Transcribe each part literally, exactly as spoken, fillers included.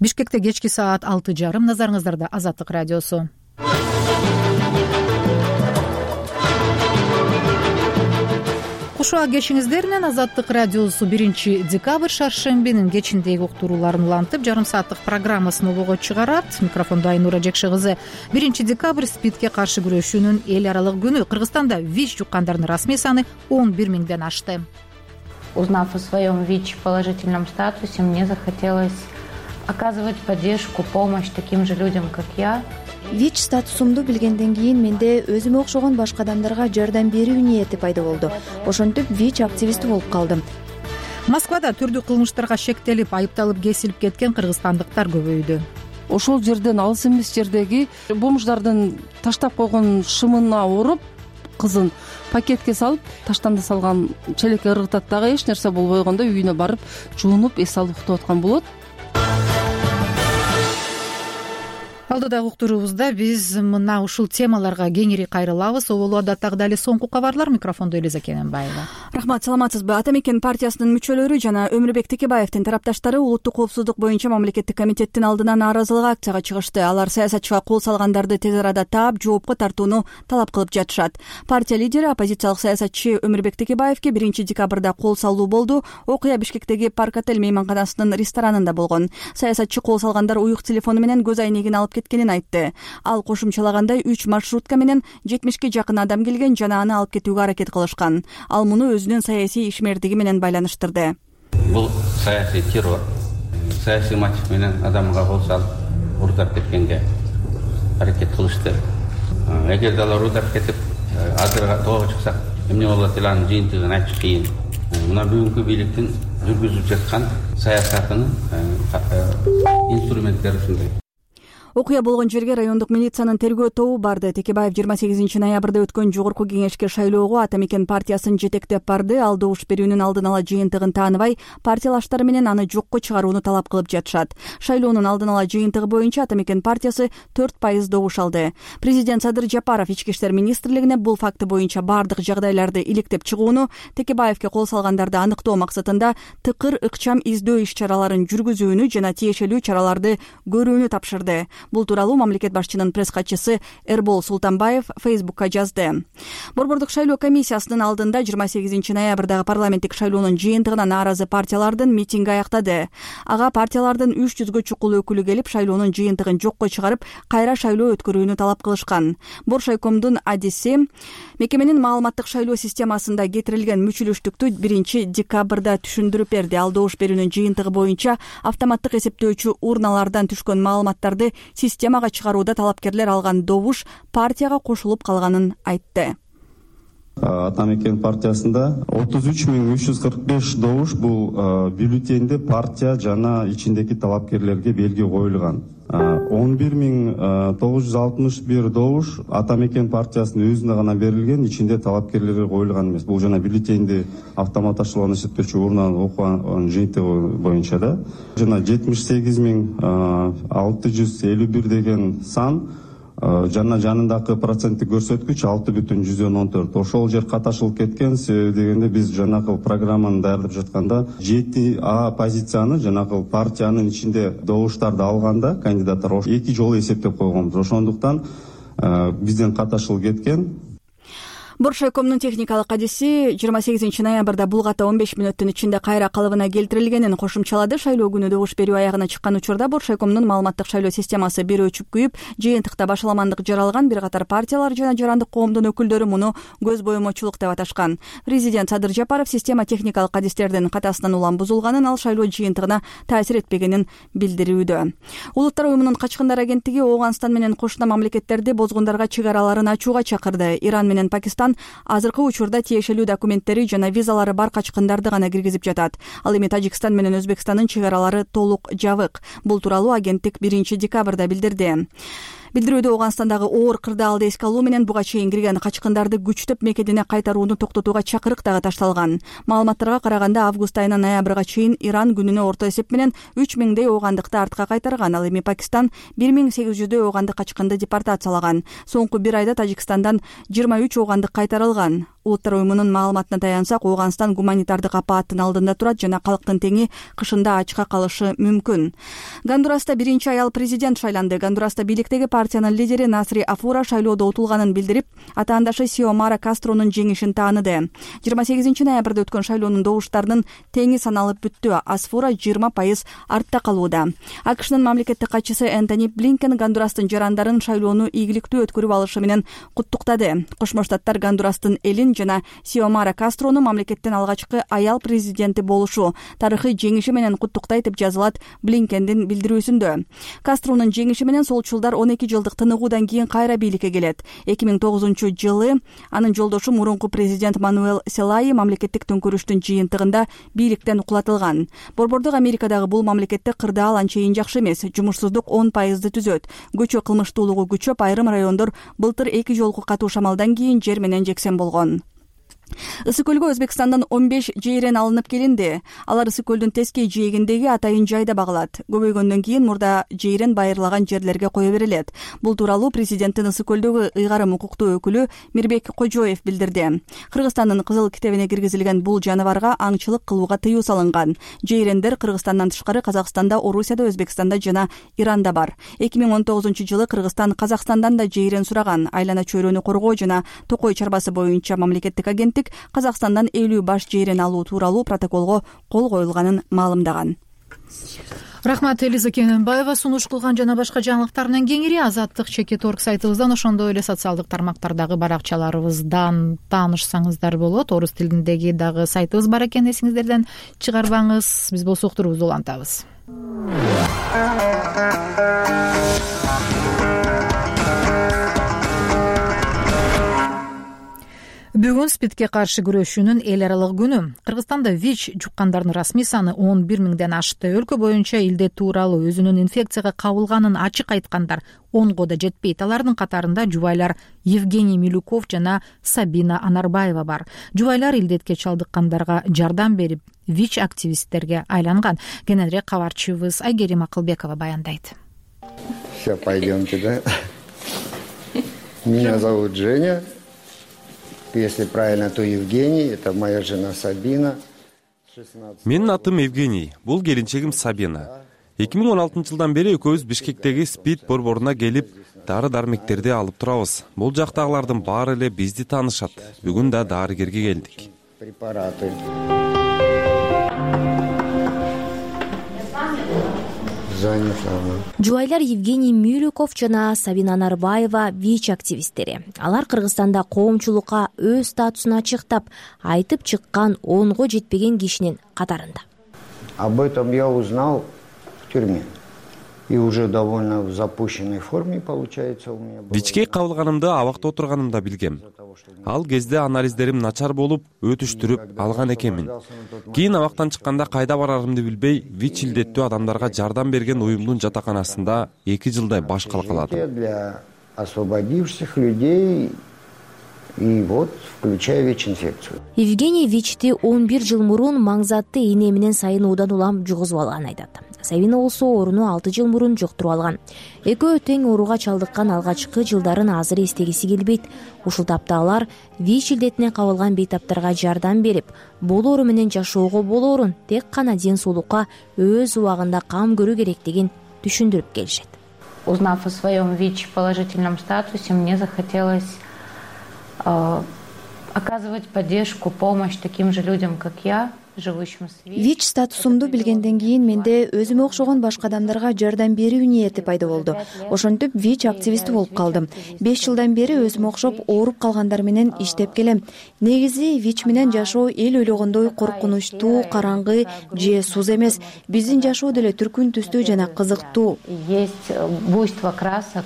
Бишкекте кечки саат алты жарым. Назарыңыздарда Азаттык радиосу. Кушуа кешиңиздер менен Азаттык радиосу биринчи декабрь шаршембинин кечиндеги уктурууларын улантып, жарым сааттык программасын обого чыгарат. Микрофондо Айнура Жекше кызы. биринчи декабрь спидке каршы күрөшүүнүн эл аралык күнү. Кыргызстанда ВИЧ жуккандардын расмий саны он бир миңден ашты. Узнав о своем ВИЧ положительном статусе, мне захотелось оказывать поддержку, помощь таким же людям, как я. ВИЧ статусумду билгенден кийин менде өзүмө окшогон башка адамдарга жардам берүү ниети пайда болду. Ошентип ВИЧ активисти болуп калдым. Москвада түрдүү кылмыштарга шектелип, айыпталып кесилип кеткен кыргызстандыктар көбөйдү. Ошол жерден алыс эмес жердеги бомждардын таштап койгон шымына уруп, кызын пакетке салып, таштанды салган челекке ыргытат дагы эч нерсе болбой койгондо үйүнө барып, жуунуп, эс алып уктап аткан болот. Алдыдагы уктуруубузда биз мына ушул темаларга кеңири кайрылабыз. Оболу адаттагыдай эле соңку кабарлар. Микрофондо Элиза Кененбаева. Рахмат, саламатсызбы? Ата мекен партиясынын мүчөлөрү жана Өмүрбек Текебаевдин тарапташтары улуттук коопсуздук боюнча мамлекеттик комитеттин алдына нааразылык акцияга чыгышты. Алар саясатчыга кол салгандарды тез арада таап, жоопко тартууну талап кылып жатышат. Партия лидери оппозициялык саясатчы Өмүрбек Текебаевге биринчи декабрда кол салуу болду. Окуя Бишкектеги Парк Отель мейманканасынын ресторанында болгон. Саясатчы кол салгандар уюк телефону менен көз айнегин алып кеткенин айтты. Ал кошумчалагандай үч маршрутка менен жетимишке жакын адам келген жана аны алып кетүүгө аракет кылышкан. Ал муну өзүнүн саясий ишмердиги менен байланыштырды. Бул саясий террор, саясий мотив менен адамга кол салып урдап кеткенге аракет кылышты. Эгер алар урдап кетип, азыр тоого чыксак, эмне болот эле анын жыйынтыгын айтыш кыйын. Мына бүгүнкү бийликтин жүргүзүп жаткан саясатынын инструменттери ушундай. Окуя болгон жерге райондук милициянын тергөө тобу барды. Текебаев жыйырма сегизинчи ноябрда өткөн жогорку кеңешке шайлоого Ата мекен партиясын жетектеп барды. Ал добуш берүүнүн алдын ала жыйынтыгын тааныбай, партиялаштары менен аны жокко чыгарууну талап кылып жатышат. Шайлоонун алдын ала жыйынтыгы боюнча Ата мекен партиясы төрт пайыз добуш алды. Президент Садыр Жапаров Ички иштер министрлигине бул факты боюнча бардык жагдайларды иликтеп чыгууну, Текебаевге кол салгандарды аныктоо максатында тыкыр ыкчам издөө иш-чараларын жүргүзүүнү жана тиешелүү чараларды көрүүнү тапшырды. Бул тууралуу мамлекет башчынын пресс-катчысы Эрбол Султанбаев Фейсбукка жазды. Борбордук шайлоо комиссиясынын алдында жыйырма сегизинчи ноябрдагы парламенттик шайлоонун жыйынтыгына нааразы партиялардын митинги аяктады. Ага партиялардын үч жүзгө чукул өкүлү келип, шайлоонун жыйынтыгын жокко чыгарып, кайра шайлоо өткөрүүнү талап кылышкан. Боршайкомдун адиси мекеменин маалыматтык шайлоо системасында кетирилген мүчүлүштүктү биринчи декабрда түшүндүрүп берди. Ал добуш берүүнүн жыйынтыгы боюнча автоматтык эсептөөчү урналардан түшкөн маалыматтарды системага чыгарууда талапкерлер алган добуш партияга кошулуп калганын айтты. Ата мекен партиясында отуз үч миң үч жүз кырк беш добуш бул бюллетенде партия жана ичиндеги талапкерлерге белги коюлган. он бир миң тогуз жүз алтымыш бир добуш Ата мекен партиясынын өзүнө гана берилген, ичинде талапкерлерге коюлган эмес. Бул жана бюллетенди автоматташтырылган эсептөөчү урунан окуган жыйынтыгы боюнча да. Жана жетимиш сегиз миң алты жүз элүү бир деген сан жана жанындагы проценттик көрсөткүч алты бүтүн жүздөн он төрт. Ошол жер каташылып кеткен. Себеби дегенде биз жанагы программаны даярдап жатканда жети А позицияны жанагы партиянын ичинде добуштарды алганда кандидаттар эки жолу эсептеп койгонбуз. Ошондуктан бизден каташылып кеткен. Боршайкомдун техникалык адиси жыйырма сегизинчи ноябрда бул ката он беш мүнөттүн ичинде кайра калыбына келтирилгенин кошумчалады. Шайлоо күнү добуш берүү аягына чыккан учурда Боршайкомдун маалыматтык шайлоо системасы бир өчүп күйүп, жыйынтыкта башаламандык жаралган. Бир катар партиялар жана жарандык коомдун өкүлдөрү муну көз боемочулук деп аташкан. Президент Садыр Жапаров система техникалык адистердин катасынан улам бузулганын, ал шайлоо жыйынтыгына таасир этпегенин билдирүүдө. Улуттар уюмунун качкындар агенттиги Ооганстан менен кошуна мамлекеттерди бозгундарга чек араларын ачууга чакырды. Иран менен Пакистан азыркы учурда тиешелүү документтери жана визалары бар качкындарды гана киргизип жатат. Ал эми Тажикстан менен Өзбекстандын чек аралары толук жабык. Бул тууралуу агенттик биринчи декабрда билдирди. билдирүүдө Ооганстандагы оор кырдаалды эске алуу менен буга чейин кирген качкындарды күчтөп мекенине кайтарууну токтотууга чакырык дагы ташталган. Маалыматтарга караганда август айынан ноябрга чейин Иран күнүнө орто эсеп менен үч миңдей оогандыкты артка кайтарган. Ал эми Пакистан бир миң сегиз жүздөй оогандык качкынды депортациялаган. Соңку бир айда Тажикстандан жыйырма үч оогандык кайтарылган. Улуттар уюмунун маалыматына таянсак, Ооганстан гуманитардык апааттын алдында турат жана калктын теңи кышында ачка калышы мүмкүн. Гондураста биринчи аял президент шайланды. Гондураста бийликтеги партиянын лидери Насри Афура шайлоодо утулганын билдирип, атаандашы Сиомара Кастронун жеңишин тааныды. жыйырма сегизинчи ноябрда өткөн шайлоонун добуштарынын теңи саналып бүттү. Асфура жыйырма пайыз артта калууда. АКШнын мамлекеттик катчысы Энтони Блинкен Гондурастын жарандарын шайлоону ийгиликтүү өткөрүп алышы менен куттуктады. Кошмо Штаттар Гондурастын элин жана Сиомара Кастрону мамлекеттин алгачкы аял президенти болушу тарыхый жеңиши менен куттуктайт деп жазылат Блинкендин билдирүүсүндө. Кастронун жеңиши менен солчулдар он эки жылдык тыныгуудан кийин кайра бийликке келет. эки миң тогузунчу жылы анын жолдошу мурунку президент Мануэл Селайи мамлекеттик төңкөрүштүн жыйынтыгында бийликтен кулатылган. Борбордук Америкадагы бул мамлекетте кырдаал анчейин жакшы эмес. Жумушсуздук он пайызды түзөт. Көчө кылмыштуулугу күчөп, айрым райондор былтыр эки жолку катуу шамалдан кийин жер менен жексен болгон. Ысык көлгө Өзбекстандан он беш жейрен алынып келинди. Алар Ысык көлдүн тескей жээгиндеги атайын жайда багылат. Көбөйгөндөн кийин мурда жейрен байырлаган жерлерге кое берилет. Бул тууралуу президенттин Ысык көлдөгү ыйгарым укуктуу өкүлү Мирбек Кожоев билдирди. Кыргызстандын кызыл китебине киргизилген бул жаныбарга аңчылык кылууга тыюу салынган. Жейрендер Кыргызстандан тышкары Казакстанда, Орусияда, Өзбекстанда жана Иранда бар. эки миң он тогузунчу жылы Кыргызстан Казакстандан да жейрен сураган. Айлана чөйрөнү коргоо жана токой чарбасы боюнча мамлекеттик агенттик Казакстандан элүү баш жейрен алуу тууралуу протоколго кол коюлганын маалымдаган. Рахмат, Элиза Кененбаева сунуш кылган. Жана башка жаңылыктарынан кеңири Азаттык чекит орг сайтыбыздан, ошондой эле социалдык тармактардагы баракчаларыбыздан таанышсаңыздар болот. Орус тилиндеги дагы сайтыбыз бар экен, эсиңиздерден чыгарбаңыз. Биз болсо уктурубузду улантабыз. Бүгүн СПИДке каршы күрөшүүнүн эл аралык күнү. Кыргызстанда ВИЧ жуккандардын расмий саны он бир миңден ашты. Өлкө боюнча илдет тууралуу өзүнүн инфекцияга кабылганын ачык айткандар онго да жетпейт. Алардын катарында жубайлар Евгений Милюков жана Сабина Анарбаева бар. Жубайлар илдетке чалдыккандарга жардам берип, ВИЧ активисттерге айланган. Кененирээк кабарчыбыз Айгерим Акылбекова баяндайт. Все, пойдемте, да? Меня зовут Женя. Если правильно, то Евгений, это моя жена Сабина. Менин атым Евгений, бул келинчегим Сабина. эки миң он алтынчы жылдан бери экөөбүз Бишкектеги СПИД борборуна келип, дары-дармектерди алып турабыз. Бул жактагылардын баары эле бизди таанышат. Бүгүн да дарыгерге келдик. Препараты. Жубайлар Евгений Милюков жана Сабина Анарбаева ВИЧ активисттери. Алар Кыргызстанда коомчулукка өз статусун ачыктап, айтып чыккан онго жетпеген кишинин катарында. Об этом я узнал в тюрьме. И уже довольно в запущенной форме получается у меня. ВИЧке кабылганымды абакта отурганымда билгем. Ал кезде анализдерим начар болуп, өтүштүрүп алган экенмин. Кийин абактан чыкканда кайда барарымды билбей, ВИЧ илдеттүү адамдарга жардам берген уюмдун жатаканасында эки жылдай баш калкаладым. Для освободившихся людей и вот включая ВИЧ-инфекцию. Евгений ВИЧти он бир жыл мурун маңзатты ийне менен сайын удан улам жугузуп алганын айтат. Сабина болсо ооруну алты жыл мурун жуктуруп алган. Экөө тең ооруга чалдыккан алгачкы жылдарын азыр эстегиси келбейт. Ушул тапта алар ВИЧ илдетине кабылган бейтаптарга жардам берип, болоору менен жашоого болоорун тек гана ден соолукка өз убагында кам көрүү керектигин түшүндүрүп келишет. Узнав о своем ВИЧ положительном статусе, мне захотелось э, оказывать поддержку, помощь таким же людям, как я. ВИЧ статусумду билгенден кийин менде өзүмө окшогон башка адамдарга жардам берүү ниети пайда болду. Ошентип ВИЧ активисти болуп калдым. беш жылдан бери өзүмө окшоп ооруп калгандар менен иштеп келем. Негизи ВИЧ менен жашоо эл ойлогондой коркунучтуу, караңгы же суз эмес. Биздин жашоо деле түркүн түстүү жана кызыктуу. Есть буйство красок,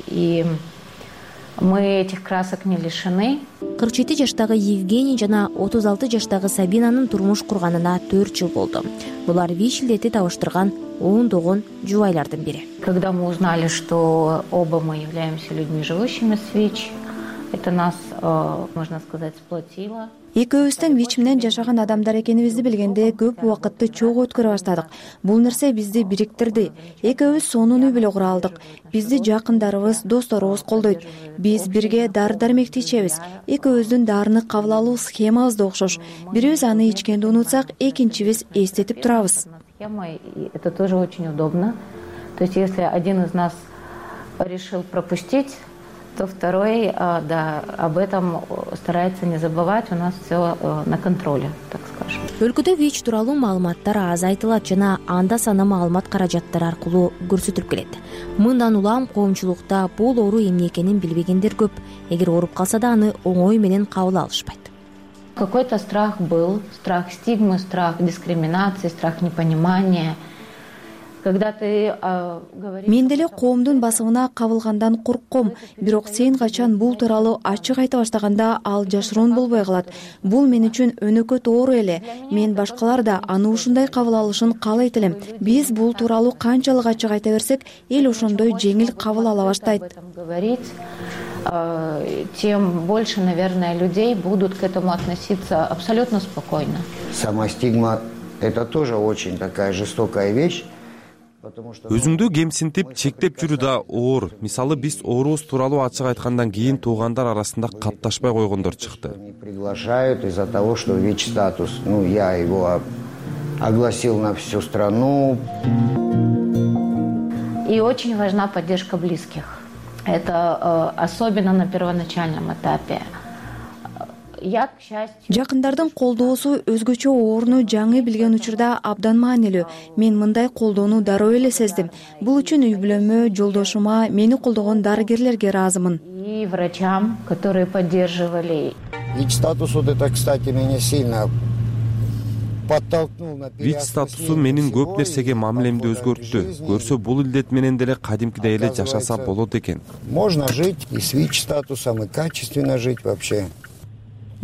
и мы этих красок не лишены. кырк жети жаштагы Евгений жана отуз алты жаштагы Сабинанын турмуш курганына төрт жыл болду. Булар ВИЧ илдети табыштырган ондогон жубайлардын бири. Когда мы узнали, что оба мы являемся людьми, живущими с ВИЧ, это нас, можно сказать, сплотило. Экөөбүздөн ВИЧ менен жашаган адамдар экенибизди билгенде көп убакытты чогуу өткөрө баштадык. Бул нерсе бизди бириктирди. Экөөбүз сонуну биле кура алдык. Бизди жакындарыбыз, досторубуз колдойт. Биз бирге дары-дармекти ичебиз. Экөөбүздүн дарыны кабыл алуу схемабыз да окшош. Бирибиз аны ичкенди унутсак, экинчибиз эстетип турабыз. Это тоже очень удобно. То есть, если один из нас решил пропустить, то второй, да, об этом старается не забывать. У нас все на контроле, так скажем. Өлкөдө ВИЧ тууралуу маалыматтар аз айтылат жана анда саны маалымат каражаттары аркылуу көрсөтүлүп келет. Мындан улам коомчулукта бул оору эмне экенин билбегендер көп. Эгер ооруп калса да аны оңой менен кабыл алышпайт. Какой-то страх был, страх стигмы, страх дискриминации, страх непонимания. Мен деле коомдун басымына кабылгандан коркком, бирок сен качан бул тууралуу ачык айта баштаганда ал жашыруун болбой калат. Бул мен үчүн өнөкөт оору эле. Мен башкалар да аны ушундай кабыл алышын каалайт элем. Биз бул тууралуу канчалык ачык айта берсек, эл ошондой жеңил кабыл ала баштайт. Тем больше, наверное, людей будут к этому относиться абсолютно спокойно. Сама стигма – это тоже очень такая жестокая вещь. Өзүңдү кемсинтип, чектеп жүрүү да оор. Мисалы, биз оорубуз тууралуу ачык айткандан кийин туугандар арасында катташпай койгондор чыкты. Приглашают из-за того, что ВИЧ-статус. Ну, я его огласил на всю страну. И очень важна поддержка близких. Это особенно на первоначальном этапе. Жакындардын колдоосу өзгөчө ооруну жаңы билген учурда абдан маанилүү. Мен мындай колдоону дароо эле сездим. Бул үчүн үй бүлөмө, жолдошума, мени колдогон дарыгерлерге ыраазымын. И врачам, которые поддерживали. ВИЧ-статус, вот это, кстати, меня сильно подтолкнул на ВИЧ статусу менин көп нерсеге мамилемди өзгөрттү. Көрсө, бул илдет менен деле кадимкидей эле жашаса болот экен. Можно жить и с ВИЧ-статусом, и качественно жить вообще.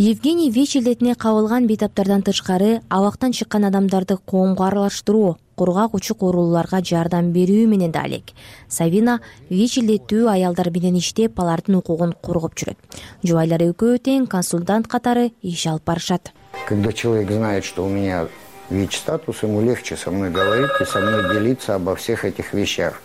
Евгений ВИЧ илдетине кабылган бейтаптардан тышкары абактан чыккан адамдарды коомго аралаштыруу, кургак учук ооруларга жардам берүү менен да алек. Савина ВИЧ илдеттүү аялдар менен иштеп, алардын укугун коргоп жүрөт. Жубайлар экөө тең консультант катары иш алып барышат. Когда человек знает, что у меня ВИЧ-статус, ему легче со мной говорить и со мной делиться обо всех этих вещах.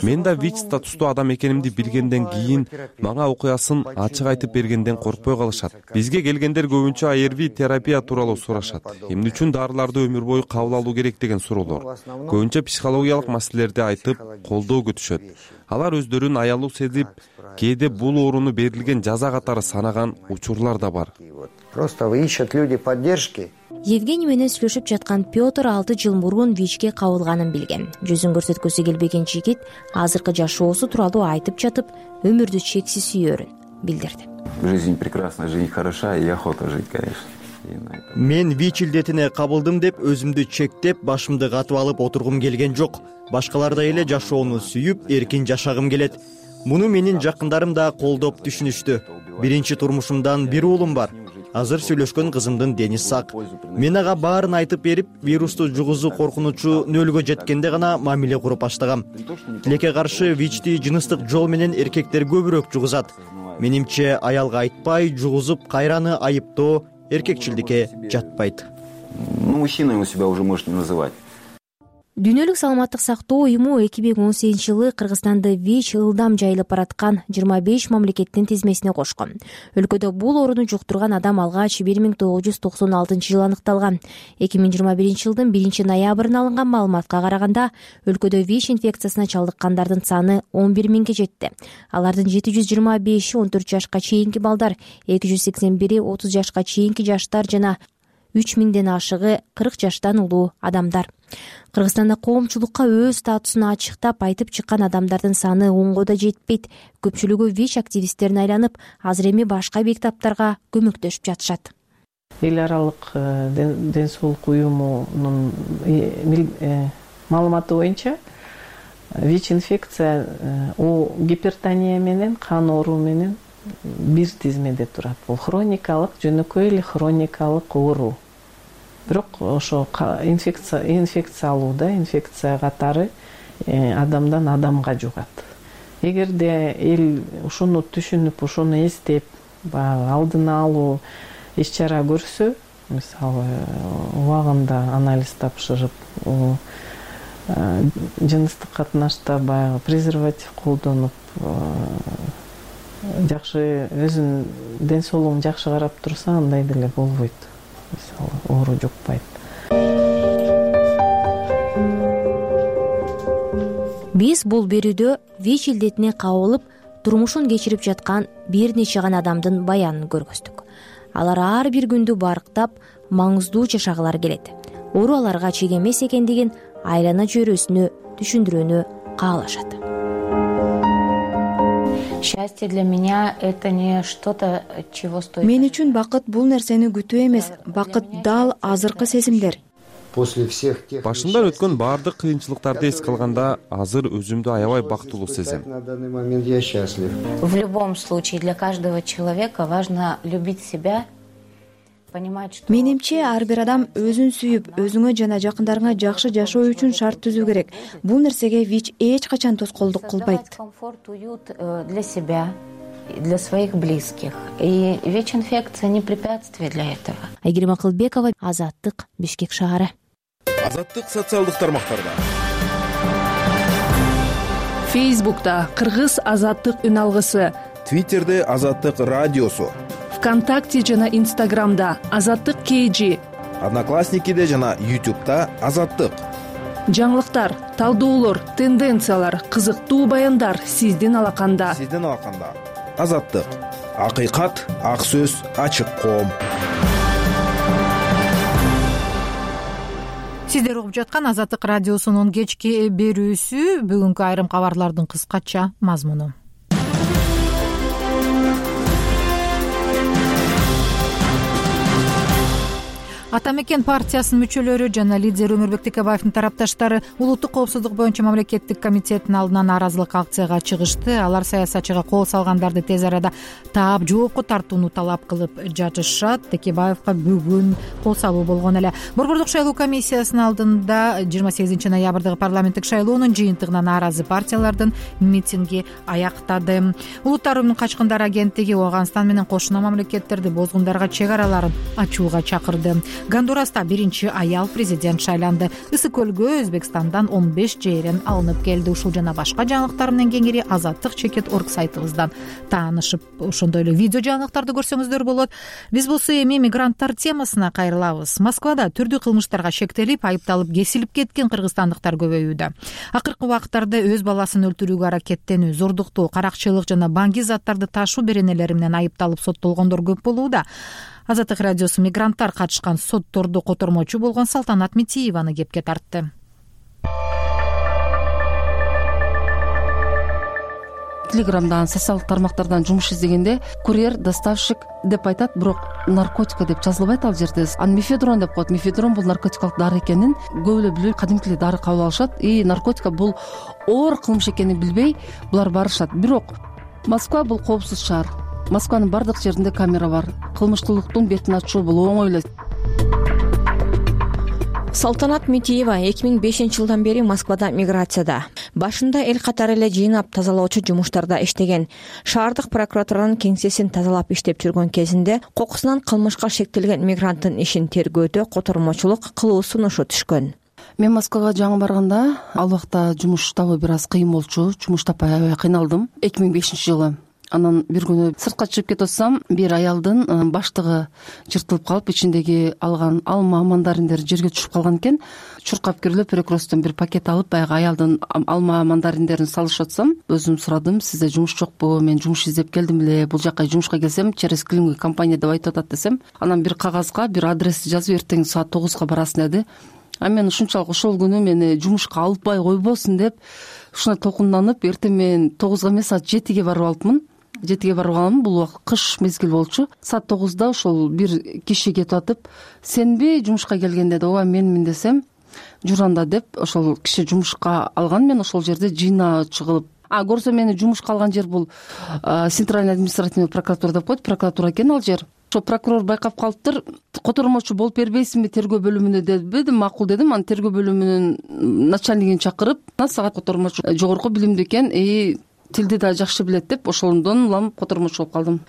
Мен да ВИЧ статустуу адам экенимди билгенден кийин мага окуясын ачык айтып бергенден коркпой калышат. Бизге келгендер көбүнчө эй ар ви терапия тууралуу сурашат. Эмне үчүн дарыларды өмүр бою кабыл алуу керек деген суроолор. Көбүнчө психологиялык маселелерди айтып, колдоо күтүшөт. Алар өздөрүн аялуу сезип, кээде бул ооруну берилген жаза катары санаган учурлар да бар. Просто ищут люди поддержки. Евгений менен сүйлөшүп жаткан Петр алты жыл мурун ВИЧке кабылганын билген. Жүзүн көрсөткөсү келбеген жигит азыркы жашоосу тууралуу айтып жатып, өмүрдү чексиз сүйөрүн билдирди. Жизнь прекрасна, жизнь хороша и охота жить, конечно. Мен ВИЧ илдетине кабылдым деп өзүмдү чектеп, башымды катып алып отургум келген жок. Башкалардай эле жашоону сүйүп, эркин жашагым келет. Муну менин жакындарым да колдоп түшүнүштү. Биринчи турмушумдан бир уулум бар. Азыр сүйлөшкөн кызымдын дени сак. Мен ага баарын айтып берип, вирусту жугузуу коркунучу нөлгө жеткенде гана мамиле куруп баштагам. Тилекке каршы ВИЧти жыныстык жол менен эркектер көбүрөөк жугузат. Менимче аялга айтпай, жугузуп кайраны айыптоо эркекчилдикке жатпайт. Ну, мужчиной вы себя уже можете не называть. Дүйнөлүк саламаттык сактоо уюму эки миң он сегизинчи жылы Кыргызстанды ВИЧ ылдам жайылып бараткан жыйырма беш мамлекеттин тизмесине кошкон. Өлкөдө бул ооруну жуктурган адам алгач бир миң тогуз жүз токсон алтынчы жылы аныкталган. эки миң жыйырма биринчи жылдын биринчи ноябрына алынган маалыматка караганда, өлкөдө ВИЧ инфекциясына чалдыккандардын саны он бир миңге жетти. Алардын жети жүз жыйырма беши он төрт жашка чейинки балдар, эки жүз сексен бири отуз жашка чейинки жаштар жана үч миңден ашыгы кырк жаштан улуу адамдар. Кыргызстанда коомчулукка өз статусун ачыктап айтып чыккан адамдардын саны онго да жетпейт. Көпчүлүгү ВИЧ активисттерине айланып, азыр эми башка бейтаптарга көмөктөшүп жатышат. Эл аралык ден соолук уюмунун маалыматы боюнча ВИЧ инфекция о гипертония менен, кан оору менен бир тизмеде турат. Бул хроникалык, жөнөкөй эле хроникалык оору. бирок ошо инфекция инфекция алуу да инфекция катары адамдан адамга жугат. Эгерде эл ушуну түшүнүп, ушуну эстеп, баягы алдын алуу иш чара көрсө, мисалы убагында анализ тапшырып, жыныстык катнашта баягы презерватив колдонуп, жакшы өзүнүн ден соолугун жакшы карап турса, андай деле болбойт. Мисалы оору жукпайт. Биз бул берүүдө ВИЧ илдетине кабылып, турмушун кечирип жаткан бир нече гана адамдын баянын көргөздүк. Алар ар бир күндү барктап, маңыздуу жашагылары келет. Оору аларга чек эмес экендигин айлана чөйрөсүнө түшүндүрүүнү каалашат. Счастье для меня это не что-то, чего стоит. Мен үчүн бакыт бул нерсени күтүү эмес, бакыт дал азыркы сезимдер. Башымдан өткөн баардык кыйынчылыктарды эске алганда, азыр өзүмдү аябай бактылуу сезем. В любом случае для каждого человека важно любить себя. Менимче ар бир адам өзүн сүйүп, өзүңө жана жакындарыңа жакшы жашоо үчүн шарт түзүү керек. Бул нерсеге ВИЧ эч качан тоскоолдук кылбайт. Комфорт, уют для себя, для своих близких. И ВИЧ-инфекция не препятствие для этого. Айгерим Акылбекова, Азаттык, Бишкек шаары. Азаттык социалдык тармактарда. Фейсбукта Кыргыз Азаттык үн алгысы, Твиттерде Азаттык радиосу, ВКонтакте жана Инстаграмда Азаттык кейжи, Одноклассникиде жана Ютубта Азаттык. Жаңылыктар, талдоолор, тенденциялар, кызыктуу баяндар сиздин алаканда. Сиздин алаканда. Азаттык. Акыйкат, ак сөз, ачык коом. Сиздер угуп жаткан Азаттык радиосунун кечки берүүсү. Бүгүнкү айрым кабарлардын кыскача мазмуну. Ата мекен партиясынын мүчөлөрү жана лидер Өмүрбек Текебаевдин тарапташтары улуттук коопсуздук боюнча мамлекеттик комитеттин алдынан нааразылык акцияга чыгышты. Алар саясатчыга кол салгандарды тез арада таап жоопко тартууну талап кылып жатышат. Текебаевга бүгүн кол салуу болгон эле. Борбордук шайлоо комиссиясынын алдында жыйырма сегизинчи ноябрдагы парламенттик шайлоонун жыйынтыгына нааразы партиялардын митинги аяктады. Улуттар уюмунун качкындар агенттиги Ооганстан менен кошуна мамлекеттерди бозгундарга чек араларын ачууга чакырды. Гондураста биринчи аял президент шайланды. Ысык көлгө Өзбекстандан он беш жээрен алынып келди. Ушул жана башка жаңылыктар менен кеңири Азаттык чекит орг сайтыбыздан таанышып, ошондой эле видео жаңылыктарды көрсөңүздөр болот. Биз болсо эми мигранттар темасына кайрылабыз. Москвада түрдүү кылмыштарга шектелип, айыпталып кесилип кеткен кыргызстандыктар көбөйүүдө. Акыркы убакыттарда өз баласын өлтүрүүгө аракеттенүү, зордуктоо, каракчылык жана баңги заттарды ташуу беренелери менен айыпталып соттолгондор көп болууда. Азаттык радиосу мигранттар катышкан сотторду котормочу болгон Салтанат Митиеваны кепке тартты. Телеграмдан, социалдык тармактардан жумуш издегенде курьер, доставщик деп айтат, бирок наркотика деп жазылбайт ал жерде. Аны мефедрон деп коет. Мефедрон бул наркотикалык дары экенин көп эле билбей, кадимки эле дары кабыл алышат. И наркотика бул оор кылмыш экенин билбей булар барышат. Бирок Москва бул коопсуз шаар. Москванын бардык жеринде камера бар. Кылмыштуулуктун бетин ачуу бул оңой эле. Салтанат Митиева эки миң бешинчи жылдан бери Москвада миграцияда. Башында эл катары эле жыйнап тазалоочу жумуштарда иштеген. Шаардык прокуратуранын кеңсесин тазалап иштеп жүргөн кезинде кокусунан кылмышка шектелген мигранттын ишин тергөөдө котормочулук кылуу сунушу түшкөн. Мен Москвага жаңы барганда ал убакта жумуш табуу бир аз кыйын болчу. Жумуш таппай аябай кыйналдым. эки миң бешинчи жылы. Анан бир күнү сыртка чыгып кетип атсам, бир аялдын баштыгы жыртылып калып, ичиндеги алган алма мандариндери жерге түшүп калган экен. Чуркап кирип Перекресттен бир пакет алып, баягы аялдын алма мандариндерин салышып атсам, өзүм сурадым: "Сизде жумуш жокпу? Мен жумуш издеп келдим эле. Бул жака жумушка келсем, через клининг компания деп айтып атат" десем, анан бир кагазга бир адрести жазып, "Эртең саат тогузга барасың" деди. А мен ушунчалык ошол күнү мени жумушка албай койбосун деп ушуна толкунданып, эртең мен тогузга эмес, саат жетиге барып алыпмын. жетиге барып алам. Бул убакыт кыш мезгил болчу. Саат тогузда ошол бир киши кетип атып, "Сенби жумушка келген?" деди. "Ооба, менмин" десем, "Жур анда" деп ошол киши жумушка алган. Мен ошол жерде жыйнаочу кылып, а көрсө мени жумушка алган жер бул Центральный административный прокуратура деп коет, прокуратура экен ал жер. ошо прокурор байкап калыптыр, котормочу болуп бербейсиңби тергөө бөлүмүнө дебедим. Макул дедим. Анан тергөө бөлүмүнүн начальнигин чакырып, сагат котормочу жогорку билимдүү экен, и тилди да жакшы билет деп ошондон улам котормочу болуп калдым.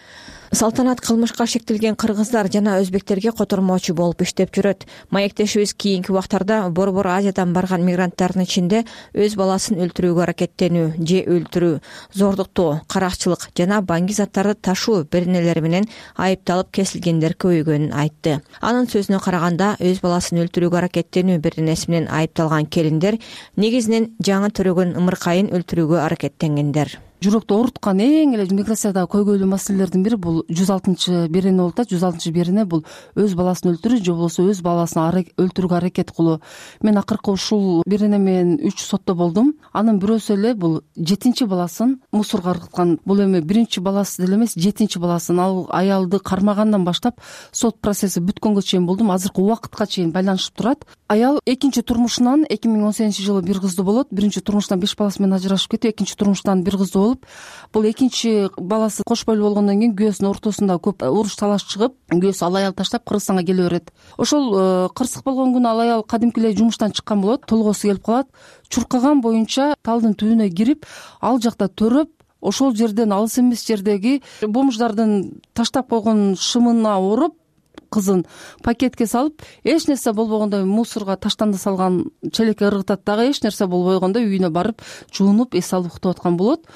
Салтанат кылмышка шектелген кыргыздар жана өзбектерге котормочу болуп иштеп жүрөт. Маектешибиз кийинки убактарда Борбор Азиядан барган мигранттардын ичинде өз баласын өлтүрүүгө аракеттенүү же өлтүрүү, зордуктоо, каракчылык жана баңги заттарды ташуу беренелери менен айыпталып кесилгендер көбөйгөнүн айтты. Анын сөзүнө караганда, өз баласын өлтүрүүгө аракеттенүү беренеси менен айыпталган келиндер негизинен жаңы төрөгөн ымыркайын өлтүрүүгө аракеттенгендер. Жүрөктү ооруткан эң эле миграцияда көйгөйлүү маселелердин бири бул жүз алтынчы берене болуп атат. жүз алтынчы берене бул өз баласын өлтүрүү же болбосо өз баласын өлтүрүүгө аракет кылуу. Мен акыркы ушул берене менен үч сотто болдум. Анын бирөөсү эле бул жетинчи баласын мусорго ыргыткан. Бул эми биринчи баласы деле эмес, жетинчи баласын. Ал аялды кармагандан баштап сот процесси бүткөнгө чейин болдум. Азыркы убакытка чейин байланышып турат. Аял экинчи турмушунан эки миң он сегизинчи жылы бир кызды болот. Биринчи турмуштан беш баласы менен ажырашып кетип, экинчи турмуштан бир кызды болуп, бул экинчи баласы кош бойлуу болгондон кийин күйөөсүнүн ортосунда көп уруш талаш чыгып, күйөөсү ал аялды таштап Кыргызстанга келе берет. Ошол кырсык болгон күнү ал аял кадимки эле жумуштан чыккан болот, толгоосу келип калат. Чуркаган боюнча талдын түбүнө кирип, ал жакта төрөп, ошол жерден алыс эмес жердеги бомждардын таштап койгон шымына оруп, кызын пакетке салып, эч нерсе болбогондой мусорго таштанды салган челекке ыргытат дагы, эч нерсе болбогондой үйүнө барып жуунуп эс алып уктап аткан болот.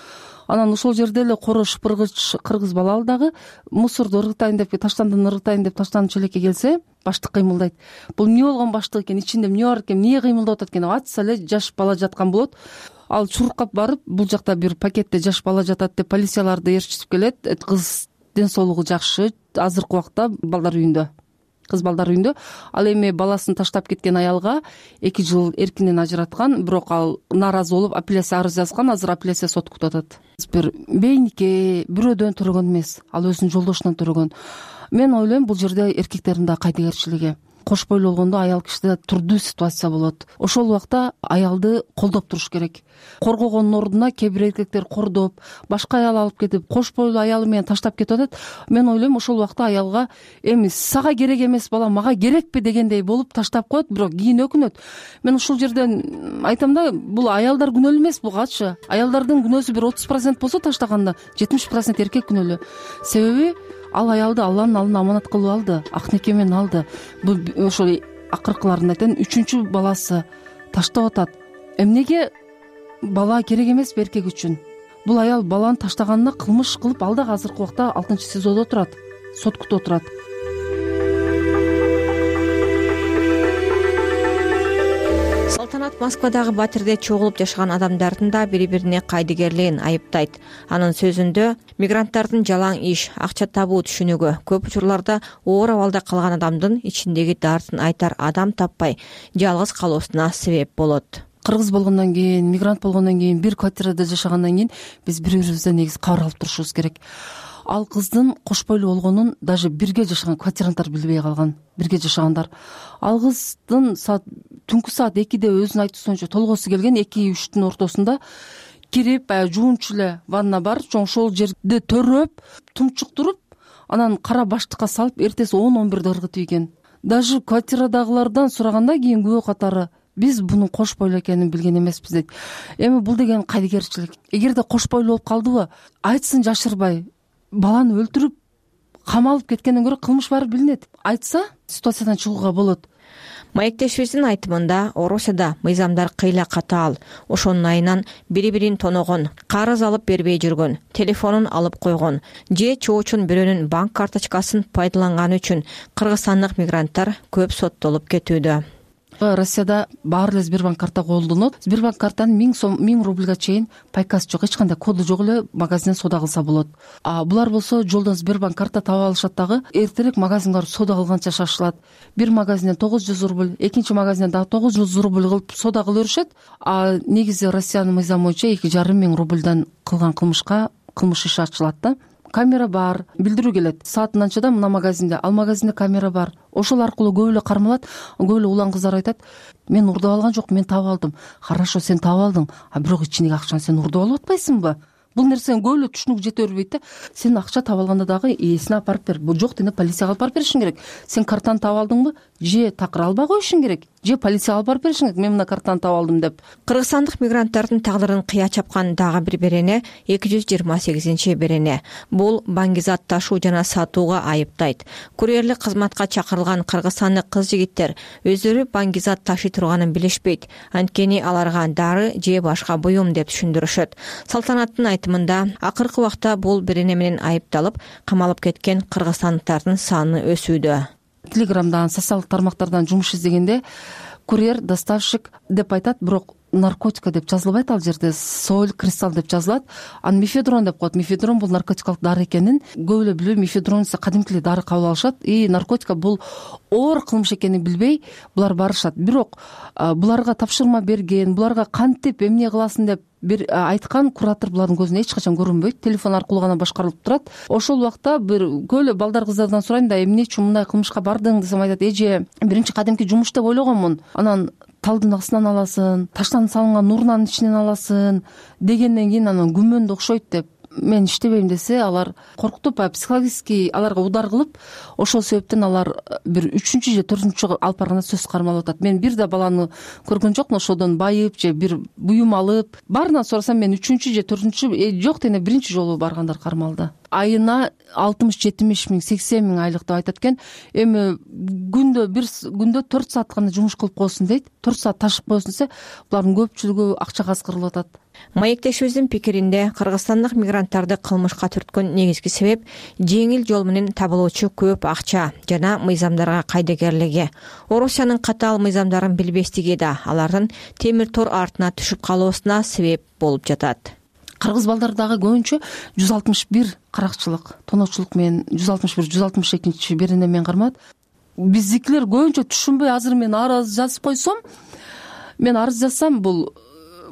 Анан ошол жерде эле коро шыпыргыч кыргыз бала ал дагы мусорду ыргытайын деп, таштандыны ыргытайын деп таштанды челекке келсе, баштык кыймылдайт. Бул эмне болгон баштык экен, ичинде эмне бар экен, эмне кыймылдап атат экен, ачса эле жаш бала жаткан болот. Ал чуркап барып, бул жакта бир пакетте жаш бала жатат деп полицияларды ээрчитип келет. Кыз ден соолугу жакшы, азыркы убакта балдар үйүндө, кыз балдар үйүндө. Ал эми баласын таштап кеткен аялга эки жыл эркинен ажыраткан, бирок ал нааразы болуп апелляция арыз жазган. Азыр апелляция сот күтүп атат. Бир бейнике бирөөдөн төрөгөн эмес, ал өзүнүн жолдошунан төрөгөн. Мен ойлойм, бул жерде эркектердин да кайдыгерчилиги. Кош бойлуу болгондо аял кишиде турдуу ситуация болот. Ошол убакта аялды колдоп туруш керек. Коргогондун ордуна кээ бир эркектер кордоп, башка аял алып кетип, кош бойлуу аялы менен таштап кетип атат. Мен ойлойм, ошол убакта аялга эми сага керек эмес бала мага керекпи дегендей болуп таштап коет, бирок кийин өкүнөт. Мен ушул жерден айтам да, бул аялдар күнөөлүү эмес, бугачы. Аялдардын күнөөсү бир отуз процент болсо таштаганда, жетимиш процент эркек күнөөлүү. Себеби ал аялды Алланын алдына аманат кылып алды, акнеке менен алды. Бул ошол акыркыларында айтайын, үчүнчү баласы таштап атат. Эмнеге бала керек эмес эркек үчүн? Бул аял баланы таштаганына кылмыш кылып, ал дагы азыркы убакта алтынчы сезодо турат, сот күтүп турат. Салтанат Москвадагы батирде чогулуп жашаган адамдардын да бири-бирине кайдыгерлигин айыптайт. Анын сөзүндө, мигранттардын жалаң иш, акча табуу түшүнүгү көп учурларда оор абалда калган адамдын ичиндеги дартын айтар адам таппай, жалгыз калуусуна себеп болот. Кыргыз болгондон кийин, мигрант болгондон кийин, бир квартирада жашагандан кийин биз бири-бирибизден негизи кабар алып турушубуз керек. Ал кыздын кош бойлуу болгонун даже бирге жашаган квартиранттар билбей калган, бирге жашагандар. Ал кыздын саат түнкү саат экиде өзүнүн айтуусунча толгоосу келген, эки үчтүн ортосунда кирип, баягы жуунчу эле ванна бар, ошол жерде төрөп, тумчуктуруп, анан кара баштыкка салып, эртеси он он бирде ыргытып ийген. Даже квартирадагылардан сураганда кийин күбө катары, биз бунун кош бойлуу экенин билген эмеспиз дейт. Эми бул деген кайдыгерчилик. Эгерде кош бойлуу болуп калдыбы, айтсын жашырбай, баланы өлтүрүп камалып кеткенден көрө кылмыш баары билинет. Айтса, ситуациядан чыгууга болот. Маектешибиздин айтымында, Орусияда мыйзамдар кыйла катаал. Ошонун айынан бири-бирин тоногон, карыз алып бербей жүргөн, телефонун алып койгон же чоочун бирөөнүн банк карточкасын пайдаланганы үчүн кыргызстандык мигранттар көп соттолуп кетүүдө. Россияда баары эле Сбербанк карта колдонот. Сбербанк картанын миң сом, миң рубльга чейин пайкасы жок, эч кандай коду жок эле магазинден соода кылса болот. А булар болсо жолдон Сбербанк карта таап алышат дагы, эртерээк магазинге барып соода кылганча шашылат. Бир магазинден тогуз жүз рубль, экинчи магазинден дагы тогуз жүз рубль кылып соода кыла беришет. А негизи Россиянын мыйзамы боюнча эки жарым миң рубльдан кылган кылмышка кылмыш иши ачылат да. Камера бар, билдирүү келет. Саатын анчада мына магазинде, ал магазинде камера бар. Ошол аркылуу көп эле кармалат. Көп эле улан кыздар айтат: "Мен урдап алган жок, мен таап алдым." Хорошо, сен таап алдың, а бирок ичиндеги акчаны сен урдап алып атпайсыңбы? бул нерсени көп эле түшүнүүгө жете бербейт да. Сен акча таап алганда дагы ээсине апарып бер, бул жок дегенде полицияга алып барып беришиң керек. Сен картаны таап алдыңбы, же такыр албай коюшуң керек, же полицияга алып барып беришиң керек, мен мына картаны таап алдым деп. Кыргызстандык мигранттардын тагдырын кыя чапкан дагы бир берене эки жүз жыйырма сегизинчи берене. Бул баңгизат ташуу жана сатууга айыптайт. Курьерлик кызматка чакырылган кыргызстандык кыз-жигиттер өздөрү баңгизат ташый турганын билишпейт. Анткени аларга дары же башка буюм деп түшүндүрүшөт. Салтанаттын айтымында акыркы убакта бул берене менен айыпталып камалып кеткен кыргызстандыктардын саны өсүүдө. Телеграмдан, социалдык тармактардан жумуш издегенде курьер, доставщик деп айтат, бирок наркотика деп жазылбайт ал жерде, соль, кристалл деп жазылат. Аны мефедрон деп коет. Мефедрон бул наркотикалык дары экенин көп эле билбей, мефедрон десе кадимки эле дары кабыл алышат. И наркотика бул оор кылмыш экенин билбей булар барышат. Бирок буларга тапшырма берген, буларга кантип эмне кыласың деп бир айткан куратор булардын көзүнө эч качан көрүнбөйт. Телефон аркылуу гана башкарылып турат. Ошол убакта бир көп эле балдар, кыздардан сурайм да, эмне үчүн мындай кылмышка бардың десем, айтат, эже, биринчи кадимки жумуш деп ойлогонмун. Анан талдын астынан аласың, таштан салынган урнанын ичинен аласың дегенден кийин анан күмөндө окшойт деп мен иштебейм десе, алар коркутуп, психологический аларга удар кылып, ошол себептен алар бир үчүнчү же төртүнчү алып барганда сөз кармалып атат. Мен бир да баланы көргөн жокмун ошодон байып же бир буюм алып. Баарынан сурасам, мен үчүнчү же төртүнчү жок дегенде биринчи жолу баргандар кармалды. Айына алтымыш жетимиш миң, сексен миң айлык деп айтат экен. Эми күндө бир күндө төрт саат гана жумуш кылып койсун дейт. төрт саат ташып койсун десе, булардын көпчүлүгү акчага аскырылып атат. Маектешибиздин пикиринде кыргызстандык мигранттарды кылмышка түрткөн негизги себеп жеңил жол менен табылуучу көп акча жана мыйзамдарга кайдыгерлиги. Орусиянын катаал мыйзамдарын билбестиги да алардын темир тор артына түшүп калуусуна себеп болуп жатат. Кыргыз балдары дагы көбүнчө жүз алтымыш бир каракчылык, тоноочулук менен жүз алтымыш бир, жүз алтымыш экинчи берене менен кармат. Биздикилер көбүнчө түшүнбөй, азыр мен арыз жазып койсом, мен арыз жазсам, бул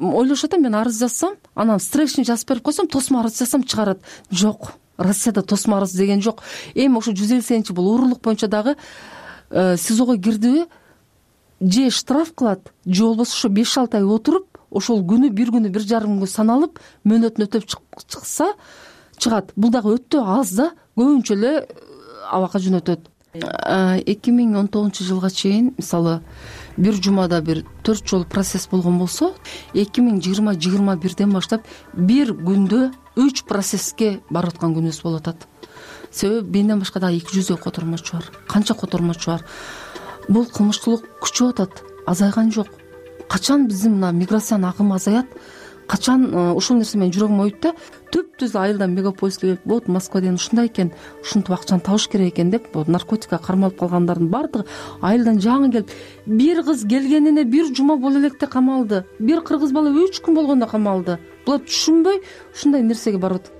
ойлошот, мен арыз жазсам, анан строчный жазып берип койсом, тосмо арыз жазсам чыгарат. Жок, Россияда тосмо арыз деген жок. Эми ошо жүз элүү сегизинчи бул уурулук боюнча дагы СИЗОго кирдиби, же штраф кылат, же болбосо ошо беш алты ай отуруп, ошол күнү бир күнү бир жарым күн саналып, мөөнөтүн өтөп чыкса чыгат. Бул дагы өтө аз да, көбүнчө эле абакка жөнөтөт. эки миң он тогузунчу жылга чейин, мисалы, бир жумада бир төрт жолу процесс болгон болсо, эки миң жыйырма жыйырма бирден баштап бир күндө үч процесске барып аткан күнүбүз болуп атат. Себеби менден башка дагы эки жүздөй котормочу бар. Канча котормочу бар. Бул кылмыштуулук күчөп атат, азайган жок. Качан биздин мына миграциянын агымы азаят? Качан ушул нерсе менин жүрөгүм оюйт да, түп-түз айылдан мегаполиске келип, вот Москва деген ушундай экен, ушинтип акчаны табыш керек экен деп, вот наркотикага кармалып калгандардын баардыгы айылдан жаңы келип, бир кыз келгенине бир жума боло электе камалды, бир кыргыз бала үч күн болгондо камалды. Булар түшүнбөй ушундай нерсеге барып атат.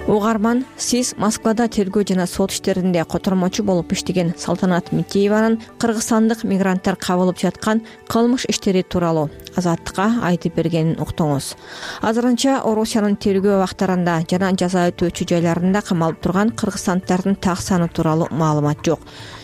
Угарман, сиз Москвада тергөө жана сот иштеринде котормочу болуп иштеген Салтанат Митиеванын кыргызстандык мигранттар кабылып жаткан кылмыш иштери тууралуу Азаттыкка айтып бергенин уктуңуз. Азырынча Орусиянын тергөө абактарында жана жаза өтөөчү жайларында камалып турган кыргызстандыктардын так саны тууралуу маалымат жок.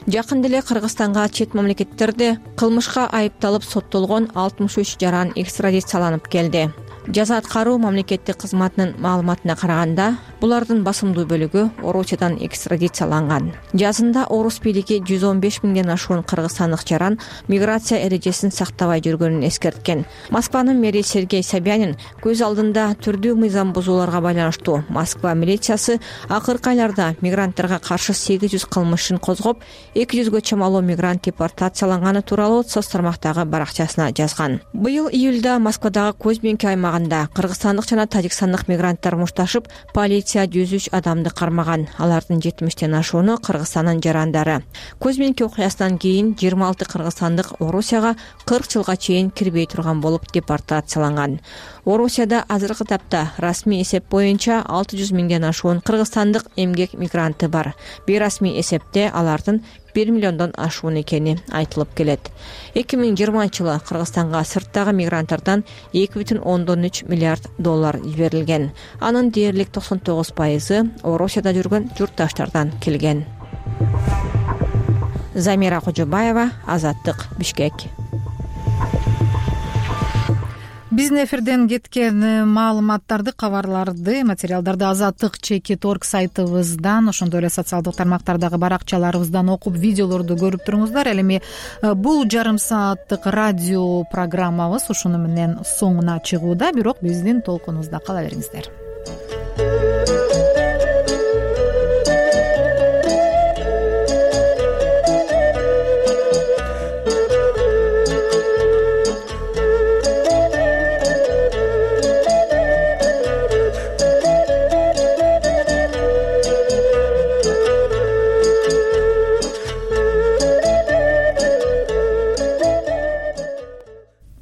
Жакында эле Кыргызстанга чет мамлекеттерде кылмышка айыпталып соттолгон алтымыш үч жаран экстрадицияланып келди. Жаза аткаруу мамлекеттик кызматынын маалыматына караганда, булардын басымдуу бөлүгү Орусиядан экстрадицияланган. Жазында Орус бийлиги жүз он беш миңден ашуун кыргызстандык жаран миграция эрежесин сактабай жүргөнүн эскерткен. Москванын мэри Сергей Собянин көз алдында түрдүү мыйзам бузууларга байланыштуу Москва милициясы акыркы айларда мигранттарга каршы сегиз жүз кылмышын козгоп, эки жүзгө чамалуу мигрант депортацияланганы тууралуу соц тармактагы баракчасына жазган. Быйыл июлда Москвадагы Козьминки аймагында кыргызстандык жана тажикстандык мигранттар мушташып, полиция жүз үч адамды кармаган. Алардын жетимиштен ашууну Кыргызстандын жарандары. Козьминки окуясынан кийин жыйырма алты кыргызстандык Орусияга кырк жылга чейин кирбей турган болуп депортацияланган. Орусияда азыркы тапта расмий эсеп боюнча алты жүз миңден ашуун кыргызстандык эмгек мигранты бар. Бейрасмий эсепте алардын бир миллиондон ашуун экени айтылып келет. эки миң жыйырманчы жылы Кыргызстанга сырттагы мигранттардан эки бүтүн ондон үч миллиард доллар жиберилген. Анын дээрлик токсон тогуз пайызы Орусияда жүргөн журтташтардан келген. Замира Кожобаева, Азаттык, Бишкек. биздин эфирден кеткен маалыматтарды, кабарларды, материалдарды азаттык чекит орг сайтыбыздан, ошондой эле социалдык тармактардагы баракчаларыбыздан окуп, видеолорду көрүп туруңуздар. Ал эми бул жарым сааттык радио программабыз ушуну менен соңуна чыгууда, бирок биздин толкунубузда кала бериңиздер.